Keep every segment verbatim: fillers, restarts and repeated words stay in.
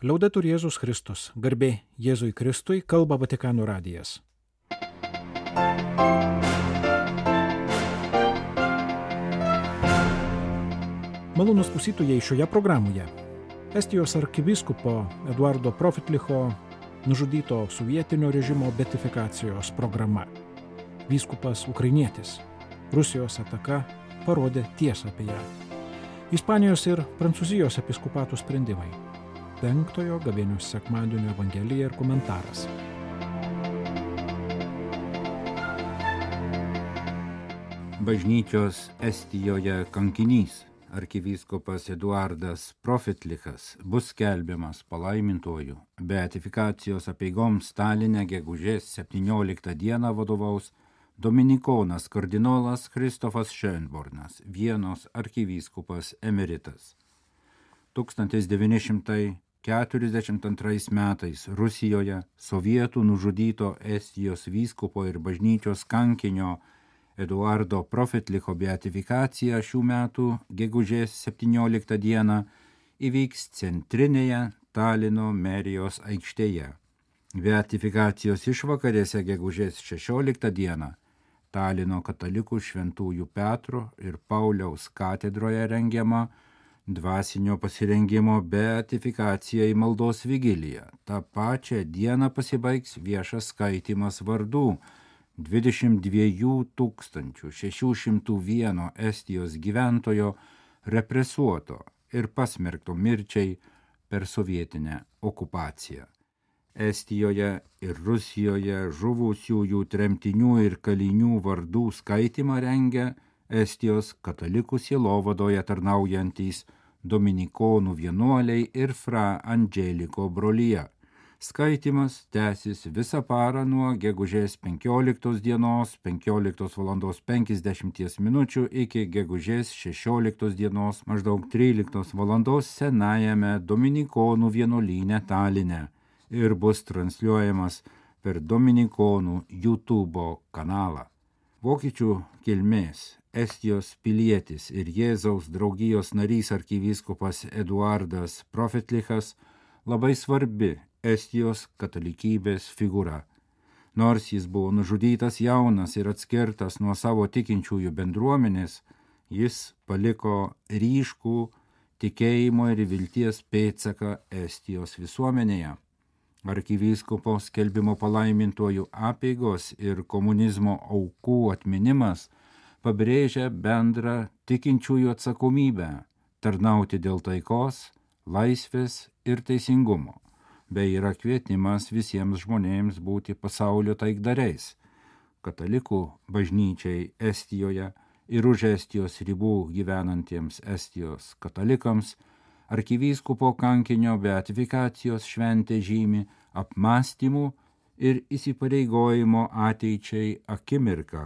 Liaudetur Jėzus Kristus, garbė Jėzui Kristui, kalba Vatikano radijas. Malonūs klausytojai, šioje programoje Estijos arkivyskupo Eduardo Profitlicho nužudyto sovietinio režimo beatifikacijos programa. Vyskupas ukrainietis. Rusijos ataka parodė tiesą apie ją. Ispanijos ir Prancūzijos episkopatų sprendimai. Penktojo gavėnios sekmadienio evangelija ir komentaras. Bažnyčios Estijoje kankinys, arkivyskupas Eduardas Profitlichas, bus skelbiamas palaimintuoju. Beatifikacijos apeigoms Taline gegužės septynioliktą dieną vadovaus dominikonas kardinolas Kristofas Schönbornas, Vienos arkivyskupas emeritas. tūkstantis devyni šimtai keturiasdešimt antrais metais Rusijoje sovietų nužudyto Estijos vyskupo ir bažnyčios kankinio Eduardo Profitlicho beatifikacija šių metų gegužės septynioliktą dieną įvyks centrinėje Talino merijos aikštėje. Beatifikacijos išvakarėse gegužės šešioliktą dieną Talino katalikų šventųjų Petro ir Pauliaus katedroje rengiama dvasinio pasirengimo beatifikacija į maldos vigiliją. Ta pačią dieną pasibaigs viešas skaitymas vardų dvidešimt dviejų tūkstančių šešių šimtų vieno Estijos gyventojo represuoto ir pasmerkto mirčiai per sovietinę okupaciją. Estijoje ir Rusijoje žuvusiųjų tremtinių ir kalinių vardų skaitymą rengia Estijos katalikų sielovadoje tarnaujantys dominikonų vienuoliai ir Fra Angeliko brolija. Skaitymas tęsis visą parą nuo gegužės penkioliktos dienos penkioliktos valandos penkiasdešimties minučių iki gegužės šešioliktos dienos maždaug tryliktos valandos senajame dominikonų vienuolyne Taline ir bus transliuojamas per dominikonų YouTube kanalą. Vokiečių kilmės Estijos pilietis ir Jėzaus draugijos narys arkivyskupas Eduardas Profitlichas labai svarbi Estijos katalikybės figūra. Nors jis buvo nužudytas jaunas ir atskirtas nuo savo tikinčiųjų bendruomenės, jis paliko ryškų tikėjimo ir vilties pėdsaką Estijos visuomenėje. Arkivyskupo skelbimo palaimintuoju apeigos ir komunizmo aukų atminimas pabrėžia bendrą tikinčiųjų atsakomybę tarnauti dėl taikos, laisvės ir teisingumo, bei yra kvietimas visiems žmonėms būti pasaulio taikdariais. Katalikų bažnyčiai Estijoje ir už Estijos ribų gyvenantiems Estijos katalikams arkivyskupo kankinio beatifikacijos šventė žymi apmąstymų ir įsipareigojimo ateičiai akimirką.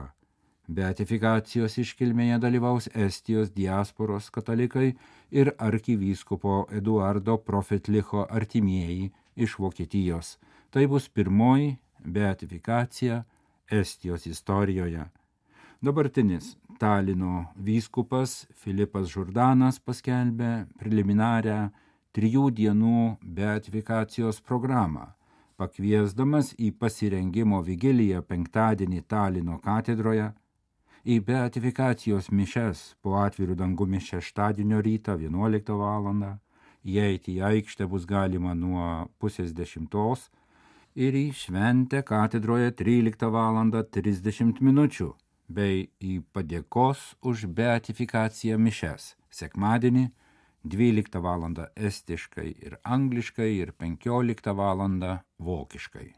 Beatifikacijos iškilmėje dalyvaus Estijos diasporos katalikai ir arkivyskupo Eduardo Profitlicho artimieji iš Vokietijos. Tai bus pirmoji beatifikacija Estijos istorijoje. Dabartinis Talino vyskupas Filipas Žurdanas paskelbė preliminarią trijų dienų beatifikacijos programą, pakviesdamas į pasirengimo vigiliją penktadienį Talino katedroje, į beatifikacijos mišias po atvirų dangumi šeštadienio rytą vienuoliktą valandą, įeiti į aikštę bus galima nuo pusės dešimtos ir į šventę katedroje tryliktą valandą trisdešimt minučių, bei į padėkos už beatifikaciją mišias sekmadienį dvyliktą valandą estiškai ir angliškai ir penkioliktą valandą vokiškai.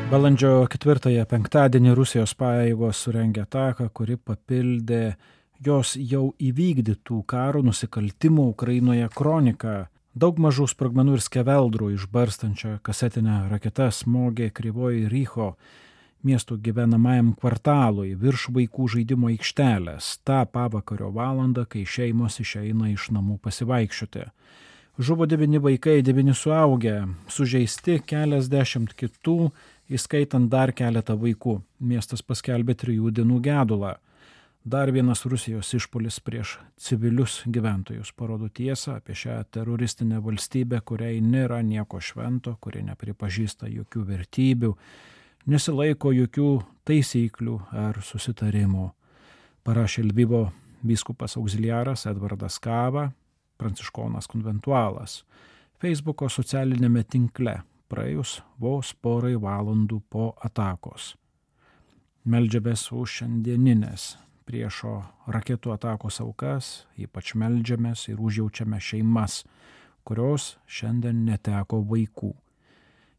Balandžio ketvirtąją penktadienį Rusijos pajėgos surengė ataką, kuri papildė jos jau įvykdytų karo nusikaltimų Ukrainoje kroniką. Daug mažų sprogmenų ir skeveldrų išbarstančią kasetinę raketą smogė Kryvoji Rycho miestų gyvenamajam kvartalui virš vaikų žaidimo aikštelės tą pavakario valandą, kai šeimos išeina iš namų pasivaikščioti. Žuvo devyni vaikai, devyni suaugę, sužeisti keliasdešimt kitų, įskaitant dar keletą vaikų. Miestas paskelbė trijų dienų gedulą. Dar vienas Rusijos išpuolis prieš civilius gyventojus parodo tiesą apie šią teroristinę valstybę, kuriai nėra nieko švento, kuri nepripažįsta jokių vertybių, nesilaiko jokių taisyklių ar susitarimų. Parašė Lvivo vyskupas auxiliaras Edvardas Kava, pranciškonas konventualas, Facebooko socialinėme tinkle praėjus vos porai valandų po atakos. Meldžiamės už šiandieninės priešo raketų atakos aukas, ypač meldžiamės ir užjaučiame šeimas, kurios šiandien neteko vaikų.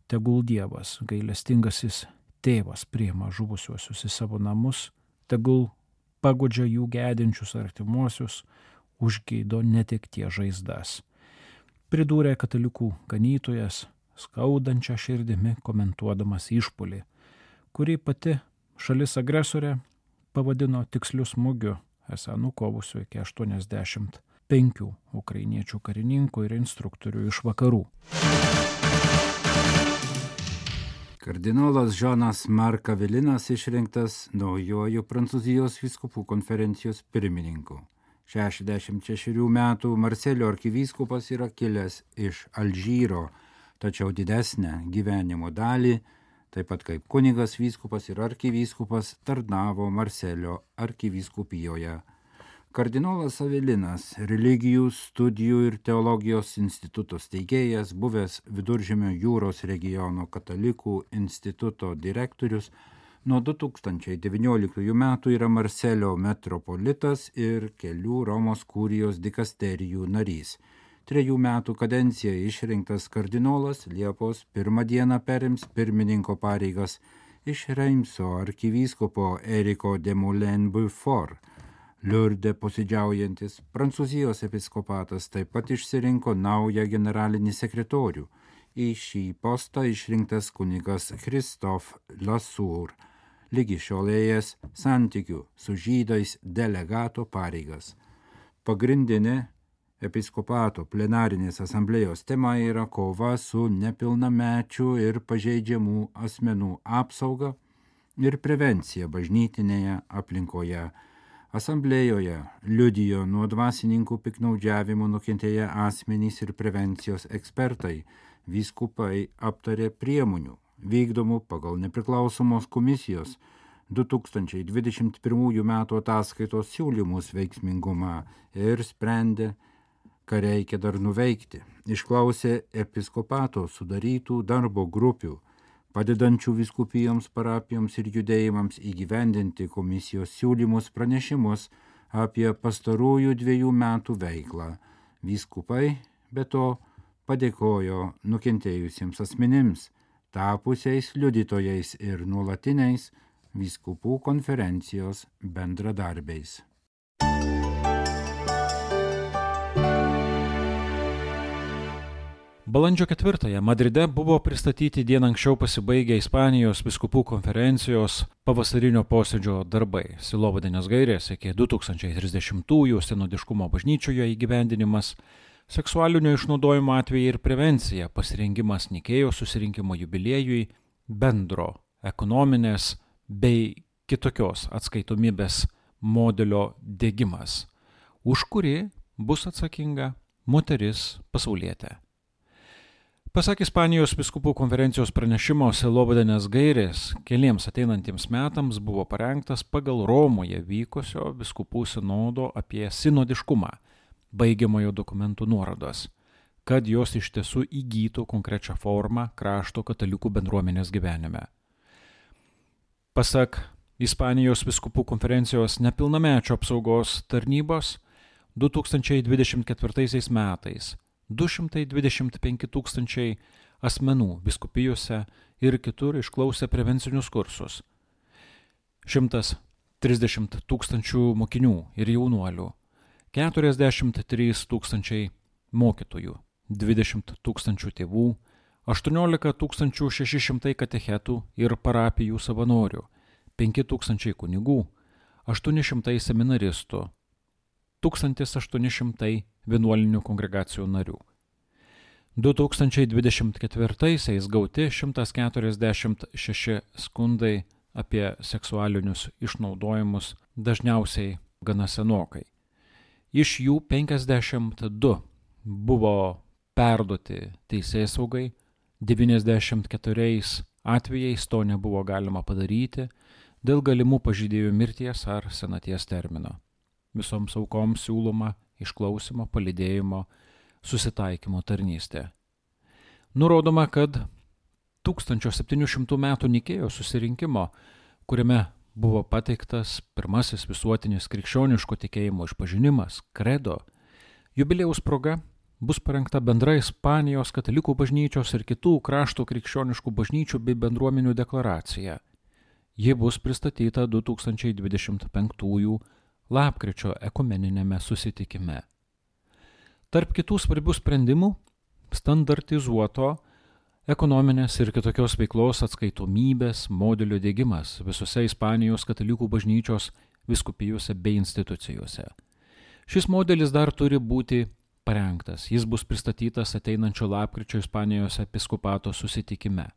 Tegul Dievas, gailestingasis tėvas, priima žuvusiuosius į savo namus, tegul paguodžia jų gedinčius artimuosius, užgydo netekties žaizdas. Pridūrė katalikų ganytojas, skaudančią širdimi komentuodamas išpuolį, kurį pati šalis agresorė pavadino tiksliu smūgiu, esą nukovusiu iki aštuoniasdešimt penkių ukrainiečių karininkų ir instruktorių iš vakarų. Kardinolas Žanas Mark Avelinas išrinktas naujuoju Prancūzijos vyskupų konferencijos pirmininku. šešiasdešimt šešerių metų Marselio arkivyskupas yra kilęs iš Alžyro, tačiau didesnę gyvenimo dalį, taip pat kaip kunigas vyskupas ir arkivyskupas, tarnavo Marselio arkivyskupijoje. Kardinolas Avelinas, religijų, studijų ir teologijos instituto steigėjas, buvęs Viduržemio jūros regiono katalikų instituto direktorius, nuo du tūkstančiai devynioliktųjų metų yra Marselio metropolitas ir kelių Romos kurijos dikasterijų narys. Trejų metų kadenciją išrinktas kardinolas Liepos pirmą dieną perims pirmininko pareigas iš Reimso arkivyskupo Eriko de Moulin-Beaufort. Liurde posėdžiaujantis Prancūzijos episkopatas taip pat išsirinko naują generalinį sekretorių. Į šį postą išrinktas kunigas Christophe Lassour, lygi šiolėjęs santykių su žydais delegato pareigas. Pagrindinė episkopato plenarinės asamblėjos tema yra kova su nepilnamečių ir pažeidžiamų asmenų apsauga ir prevencija bažnytinėje aplinkoje. Asamblėjoje liudijo nuo dvasininkų piktnaudžiavimų nukentėję asmenys ir prevencijos ekspertai. Vyskupai aptarė priemonių vykdomų pagal nepriklausomos komisijos du tūkstančiai dvidešimt pirmųjų metų ataskaitos siūlymus veiksmingumą ir sprendė, ką reikia dar nuveikti. Išklausė episkopato sudarytų darbo grupių, padedančių vyskupijoms, parapijoms ir judėjimams įgyvendinti komisijos siūlymus pranešimus apie pastarųjų dviejų metų veiklą. Vyskupai be to padėkojo nukentėjusiems asmenims, tapusiais liudytojais ir nuolatiniais vyskupų konferencijos bendradarbiais. Balandžio ketvirtąją Madride buvo pristatyti dieną anksčiau pasibaigę Ispanijos vyskupų konferencijos pavasarinio posėdžio darbai, sielovadinės gairės iki du tūkstančiai trisdešimtųjų sinodiškumo bažnyčioje įgyvendinimas, seksualinio išnaudojimo atvejai ir prevencija, pasirengimas Nikėjos susirinkimo jubiliejui, bendro ekonominės bei kitokios atskaitomybės modelio diegimas, už kurį bus atsakinga moteris pasaulietė. Pasak Ispanijos vyskupų konferencijos pranešimo, sielovadinės gairės keliems ateinantiems metams buvo parengtas pagal Romoje vykusio vyskupų sinodo apie sinodiškumą, baigiamojo dokumentų nuorodas, kad jos iš tiesų įgytų konkrečią formą krašto katalikų bendruomenės gyvenime. Pasak Ispanijos vyskupų konferencijos nepilnamečio apsaugos tarnybos, du tūkstančiai dvidešimt ketvirtaisiais metais du šimtai dvidešimt penki tūkstančiai asmenų vyskupijose ir kitur išklausė prevencinius kursus, šimtas trisdešimt tūkstančių mokinių ir jaunuolių, keturiasdešimt trys tūkstančiai mokytojų, dvidešimt tūkstančių tėvų, aštuoniolika tūkstančių šeši šimtai katechetų ir parapijų savanorių, penki tūkstančiai kunigų, aštuoni šimtai seminaristų, tūkstantis aštuoni šimtai vienuolinių kongregacijų narių. du tūkstančiai dvidešimt ketvirtaisiais gauti šimtas keturiasdešimt šeši skundai apie seksualinius išnaudojimus dažniausiai gana senokai. Iš jų penkiasdešimt du buvo perduoti teisėsaugai, devyniasdešimt keturiais atvejais to nebuvo galima padaryti dėl galimų pažeidėjų mirties ar senaties termino. Visoms aukoms siūloma išklausymo, palydėjimo, susitaikymo tarnystė. Nurodoma, kad tūkstančio septynių šimtų metų Nikėjos susirinkimo, kuriame buvo pateiktas pirmasis visuotinis krikščioniško tikėjimo išpažinimas, kredo, jubiliejaus proga bus parengta bendra Ispanijos katalikų bažnyčios ir kitų krašto krikščioniškų bažnyčių bei bendruomenių deklaracija. Ji bus pristatyta du tūkstančiai dvidešimt penktųjų lapkričio ekumeninėme susitikime. Tarp kitų svarbių sprendimų standartizuoto ekonominės ir kitokios veiklos atskaitomybės modelio diegimas visose Ispanijos katalikų bažnyčios vyskupijose bei institucijose. Šis modelis dar turi būti parengtas. Jis bus pristatytas ateinančio lapkričio Ispanijos episkopato susitikime.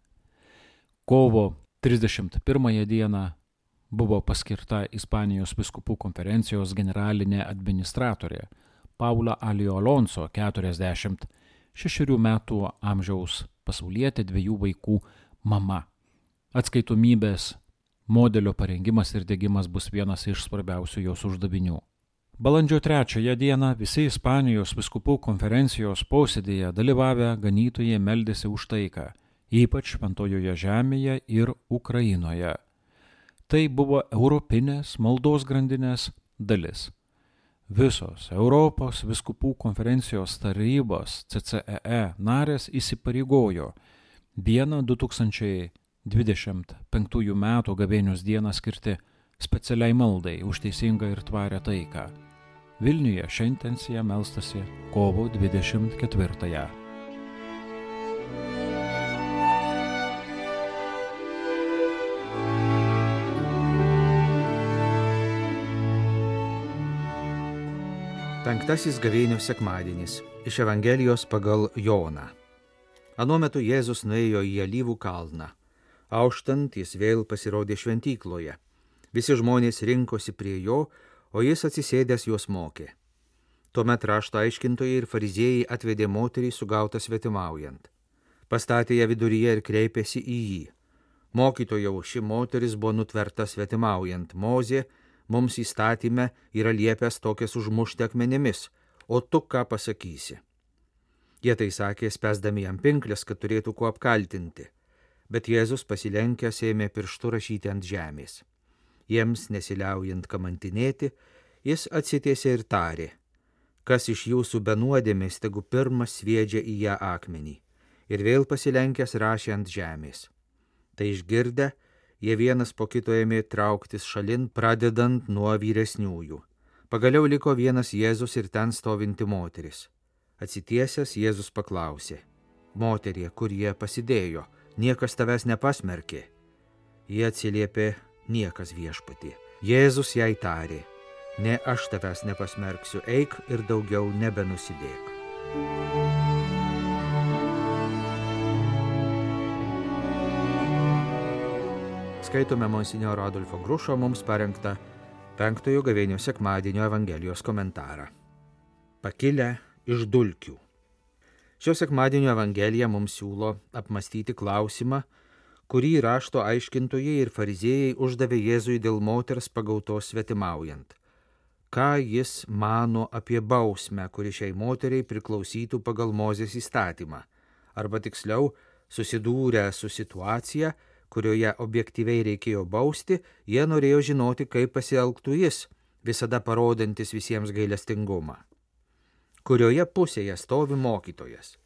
Kovo trisdešimt pirmąją dieną buvo paskirta Ispanijos vyskupų konferencijos generalinė administratorė Paula Alio Alonso, keturiasdešimt šešerių metų amžiaus pasaulietė, dviejų vaikų mama. Atskaitomybės modelio parengimas ir diegimas bus vienas iš svarbiausių jos uždavinių. Balandžio trečiąją dieną visi Ispanijos vyskupų konferencijos posėdėje dalyvavę ganytojai meldėsi už taiką, ypač Šventojoje žemėje ir Ukrainoje. Tai buvo europinės maldos grandinės dalis. Visos Europos vyskupų konferencijos tarybos C C E E narės įsipareigojo vieną du tūkstančiai dvidešimt penktųjų metų gavėnios dieną skirti specialiai maldai už teisingą ir tvarią taiką. Vilniuje šią intenciją melstasi kovo dvidešimt ketvirtąją. Penktasis gavėnios sekmadienis iš Evangelijos pagal Joną. Anuo metu Jėzus nuėjo į Alyvų kalną. Auštant jis vėl pasirodė šventykloje. Visi žmonės rinkosi prie jo, o jis atsisėdęs juos mokė. Tuomet rašto aiškintojai ir fariziejai atvedė moterį sugautą svetimaujant. Pastatė ją viduryje ir kreipėsi į jį. Mokytojau, ši moteris buvo nutverta svetimaujant. Mozė mums įstatyme yra liepęs tokias užmušti akmenimis, o tu ką pasakysi? Jie tai sakė, spęsdami jam pinklės, kad turėtų kuo apkaltinti. Bet Jėzus pasilenkęs ėmė pirštu rašyti ant žemės. Jiems nesiliaujant kamantinėti, jis atsitiesė ir tarė, kas iš jūsų be nuodėmės, tegu pirmas sviedžia į ją akmenį. Ir vėl pasilenkęs rašė ant žemės. Tai išgirdę, jie vienas po kito ėmė trauktis šalin, pradedant nuo vyresniųjų. Pagaliau liko vienas Jėzus ir ten stovinti moteris. Atsitiesęs Jėzus paklausė, moterie, kur jie pasidėjo, niekas tavęs nepasmerkė. Jie atsiliepė, niekas viešpatie. Jėzus jai tarė, ne aš tavęs nepasmerksiu, eik ir daugiau nebenusidėk. Skaitome monsinjoro Adolfo Grušo mums parengtą penktojo gavėnios sekmadienio Evangelijos komentarą. Pakilę iš dulkių. Šio sekmadienio Evangelija mums siūlo apmastyti klausimą, kurį rašto aiškintojai ir fariziejai uždavė Jėzui dėl moters pagautos svetimaujant. Ką jis mano apie bausmę, kuri šiai moteriai priklausytų pagal Mozės įstatymą, arba tiksliau, susidūrę su situacija, kurioje objektyviai reikėjo bausti, jie norėjo žinoti, kaip pasielgtų jis, visada parodantis visiems gailestingumą. Kurioje pusėje stovi mokytojas?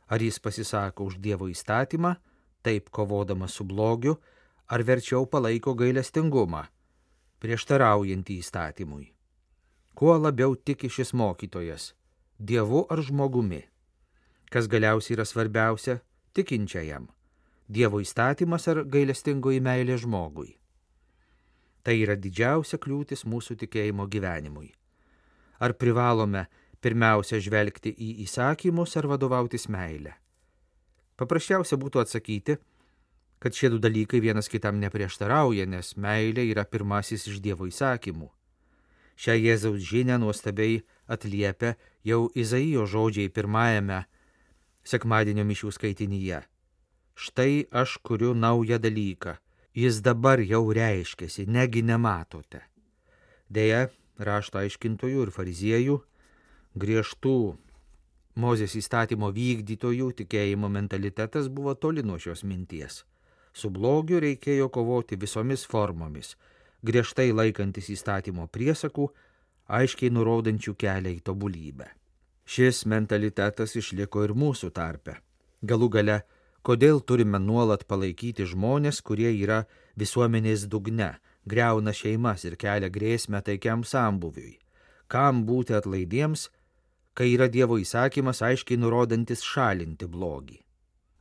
Ar jis pasisako už Dievo įstatymą, taip kovodamas su blogiu, ar verčiau palaiko gailestingumą, prieštaraujantį įstatymui? Kuo labiau tiki šis mokytojas, Dievu ar žmogumi? Kas galiausiai yra svarbiausia tikinčiajam? Dievo įstatymas ar gailestingoji meilė žmogui? Tai yra didžiausia kliūtis mūsų tikėjimo gyvenimui. Ar privalome pirmiausia žvelgti į įsakymus ar vadovautis meilę? Paprasčiausia būtų atsakyti, kad šie du dalykai vienas kitam neprieštarauja, nes meilė yra pirmasis iš Dievo įsakymų. Šią Jėzaus žinią nuostabiai atliepia jau Izaijo žodžiai pirmajame sekmadienio mišių skaitinyje. Štai aš kuriu naują dalyką, jis dabar jau reiškiasi, negi nematote. Deja, rašto aiškintojų ir fariziejų, griežtų Mozės įstatymo vykdytojų tikėjimo mentalitetas buvo toli nuo šios minties. Su blogiu reikėjo kovoti visomis formomis, griežtai laikantis įstatymo priesakų, aiškiai nurodančių kelią į tobulybę. Šis mentalitetas išliko ir mūsų tarpe. Galų gale, kodėl turime nuolat palaikyti žmonės, kurie yra visuomenės dugne, griauna šeimas ir kelia grėsmę taikiam sambuviui? Kam būti atlaidiems, kai yra Dievo įsakymas aiškiai nurodantis šalinti blogį?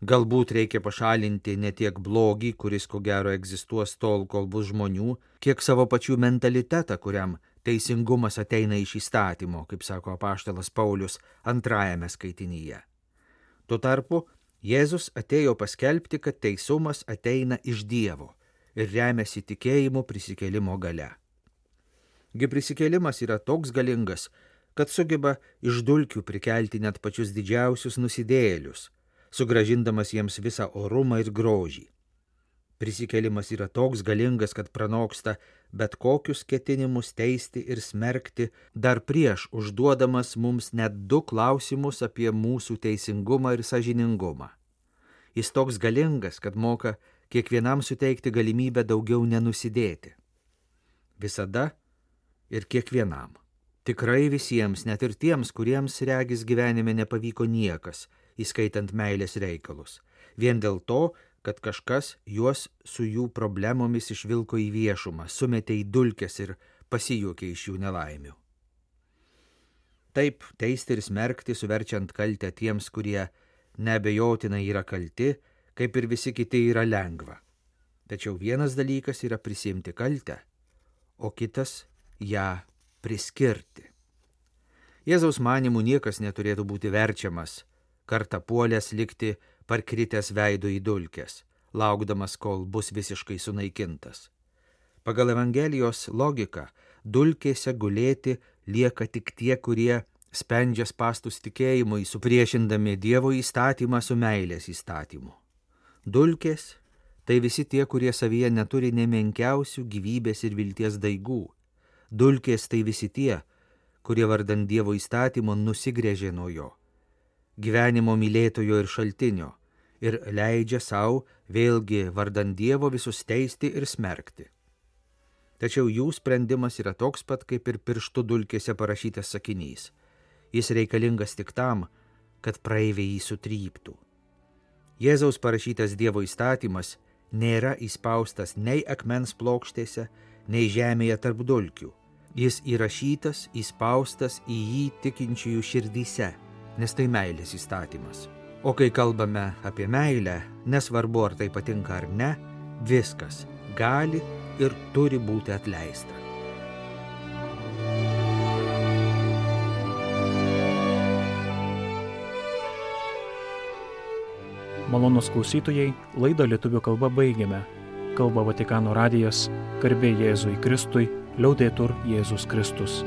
Galbūt reikia pašalinti ne tiek blogį, kuris ko gero egzistuos tol, kol bus žmonių, kiek savo pačių mentalitetą, kuriam teisingumas ateina iš įstatymo, kaip sako apaštalas Paulius antrajame skaitinyje. Tuo tarpu Jėzus atėjo paskelbti, kad teisumas ateina iš Dievo ir remiasi tikėjimu prisikėlimo galia. Gi prisikėlimas yra toks galingas, kad sugeba iš dulkių prikelti net pačius didžiausius nusidėjėlius, sugrąžindamas jiems visą orumą ir grožį. Prisikėlimas yra toks galingas, kad pranoksta bet kokius ketinimus teisti ir smerkti, dar prieš užduodamas mums net du klausimus apie mūsų teisingumą ir sąžiningumą. Jis toks galingas, kad moka kiekvienam suteikti galimybę daugiau nenusidėti. Visada ir kiekvienam. Tikrai visiems, net ir tiems, kuriems regis gyvenime nepavyko niekas, įskaitant meilės reikalus, vien dėl to, kad kažkas juos su jų problemomis išvilko į viešumą, sumetė į dulkes ir pasijuokė iš jų nelaimių. Taip, teisti ir smerkti, suverčiant kaltę tiems, kurie neabejotinai yra kalti, kaip ir visi kiti, yra lengva. Tačiau vienas dalykas yra prisimti kaltę, o kitas ją priskirti. Jėzaus manymų niekas neturėtų būti verčiamas, kartą puolęs likti parkritęs veidu į dulkes, laukdamas, kol bus visiškai sunaikintas. Pagal Evangelijos logiką, dulkėse gulėti lieka tik tie, kurie spendžia spastus tikėjimui, supriešindami Dievo įstatymą su meilės įstatymu. Dulkės tai visi tie, kurie savyje neturi nemenkiausių gyvybės ir vilties daigų. Dulkės tai visi tie, kurie vardan Dievo įstatymo nusigręžė nuo jo, gyvenimo mylėtojo ir šaltinio, ir leidžia savo vėlgi vardan Dievo visus teisti ir smerkti. Tačiau jų sprendimas yra toks pat, kaip ir pirštų dulkėse parašytas sakinys. Jis reikalingas tik tam, kad praeiviai jį sutryptų. Jėzaus parašytas Dievo įstatymas nėra įspaustas nei akmens plokštėse, nei žemėje tarp dulkių. Jis įrašytas, įspaustas į jį tikinčiųjų širdyse, nes tai meilės įstatymas. O kai kalbame apie meilę, nesvarbu ar tai patinka ar ne, viskas gali ir turi būti atleista. Malonūs klausytojai, laidą lietuvių kalba baigiame. Kalba Vatikano radijas, garbė Jėzui Kristui, liaudetur Jėzus Kristus.